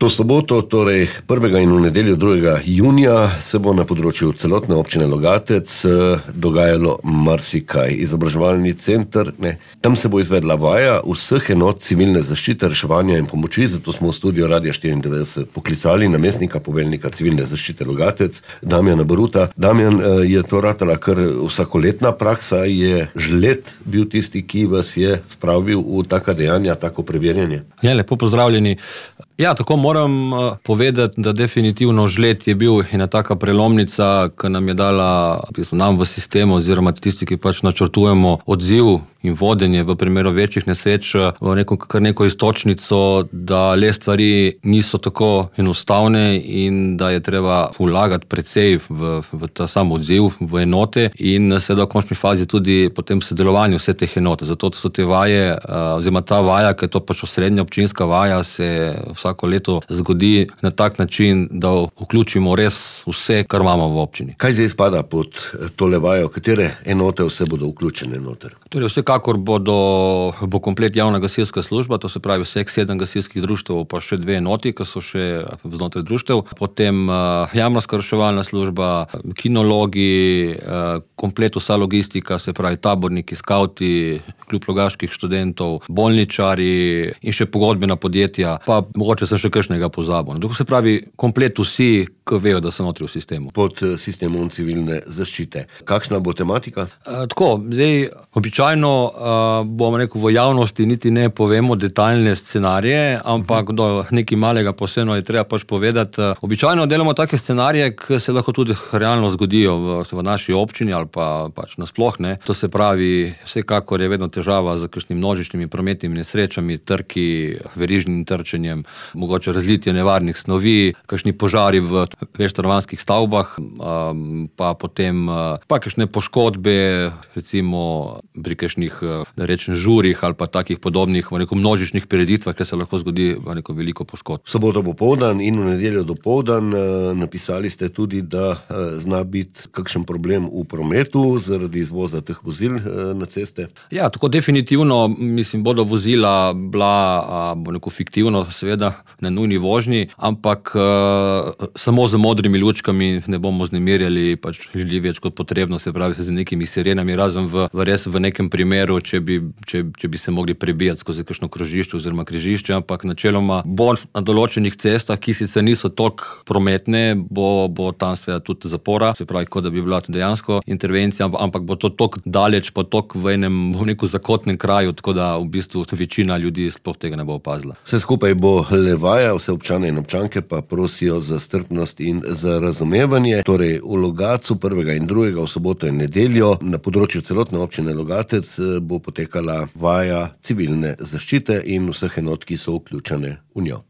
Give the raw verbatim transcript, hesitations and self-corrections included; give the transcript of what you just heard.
To soboto, torej prvega in v nedeljo drugega junija, se bo na področju celotne občine Logatec dogajalo marsikaj. Izobraževalni center, ne, tam se bo izvedla vaja vseh enot civilne zaščite, reševanja in pomoči, zato smo v studio Radia štiriindevetdeset poklicali namestnika poveljnika civilne zaščite Logatec, Damjana Baruta. Damjan, je to ratala kar vsakoletna praksa, je žled bil tisti, ki vas je spravil v taka dejanja, tako preverjanje? Ja, lepo pozdravljeni. Ja, tako moram povedati, da definitivno žled je bil ena taka prelomnica, ki nam je dala v bistvu nam v sistemu oziroma tisti, ki pač načrtujemo odziv in vodenje v primeru večjih nesreč, v neko, kar neko istočnico, da le stvari niso tako enostavne in da je treba vlagati precej v, v ta sam odziv, v enote in seveda v končni fazi tudi potem sodelovanje vse teh enot. Zato so te vaje, oziroma ta vaja, ki je to pač osrednja občinska vaja, se vsako leto zgodi na tak način, da vključimo res vse, kar imamo v občini. Kaj zdaj spada pod tole vajo? Katere enote vse bodo vključene noter? Torej, vsekakor bodo, bo komplet javna gasilska služba, to se pravi vseh sedem gasilskih društev, pa še dve enoti, ki so še znotraj društev. Potem uh, jamrska reševalna služba, kinologi, uh, komplet vsa logistika, se pravi taborniki, skauti, kljub logaških študentov, bolničari in še pogodbena podjetja, pa mogoče sem še kakšnega pozabil. To se pravi komplet vsi, ki vejo, da so notri v sistemu. Pod sistemom civilne zaščite. Kakšna bo tematika? Uh, tako, zdaj običajno uh, bomo rekel, v javnosti niti ne povemo detaljne scenarije, ampak do nekaj malega posebno je treba pač povedati. Običajno delamo take scenarije, ki se lahko tudi realno zgodijo v, v naši občini ali pa pač nasploh, ne. To se pravi, vsekakor je vedno težava z kakšnimi množičnimi prometnimi nesrečami, trki, verižnim trčenjem, mogoče razlitje nevarnih snovi, kakšni požari v večstanovanjskih stavbah, um, pa potem uh, pa kakšne poškodbe, recimo pri kakšnih, da rečem, žurih ali pa takih podobnih v neko množičnih prireditvah, kjer se lahko zgodi v neko veliko poškodb. Soboto popoldan in v nedeljo dopoldan napisali ste tudi, da zna biti kakšen problem v prometu zaradi izvoza teh vozil na ceste. Ja, tako definitivno, mislim, bodo vozila bila, bo neko fiktivno, seveda, na nujni vožnji, ampak samo z modrimi lučkami ne bomo znemirjali pač ljudi več kot potrebno, se pravi z nekimi sirenami, razen v, v res v nekem primeru, če bi, če, če bi se mogli prebijati skozi kakšno krožišče oziroma križišče, ampak načeloma bo na določenih cestah, ki sicer niso toliko prometne, bo, bo tam seveda tudi zapora, se pravi, kot da bi bila dejansko intervencija, ampak bo to toliko daleč, pa toliko v enem, v nekem zakotnem kraju, tako da v bistvu večina ljudi sploh tega ne bo opazila. Vse skupaj bo le vaja, vse občane in občanke pa prosijo za strpnost in za razumevanje. Torej, v Logatcu prvega in drugega v soboto in nedeljo na področju celotne občine Logatec bo potekala vaja civilne zaščite in vseh enot, ki so vključene v njo.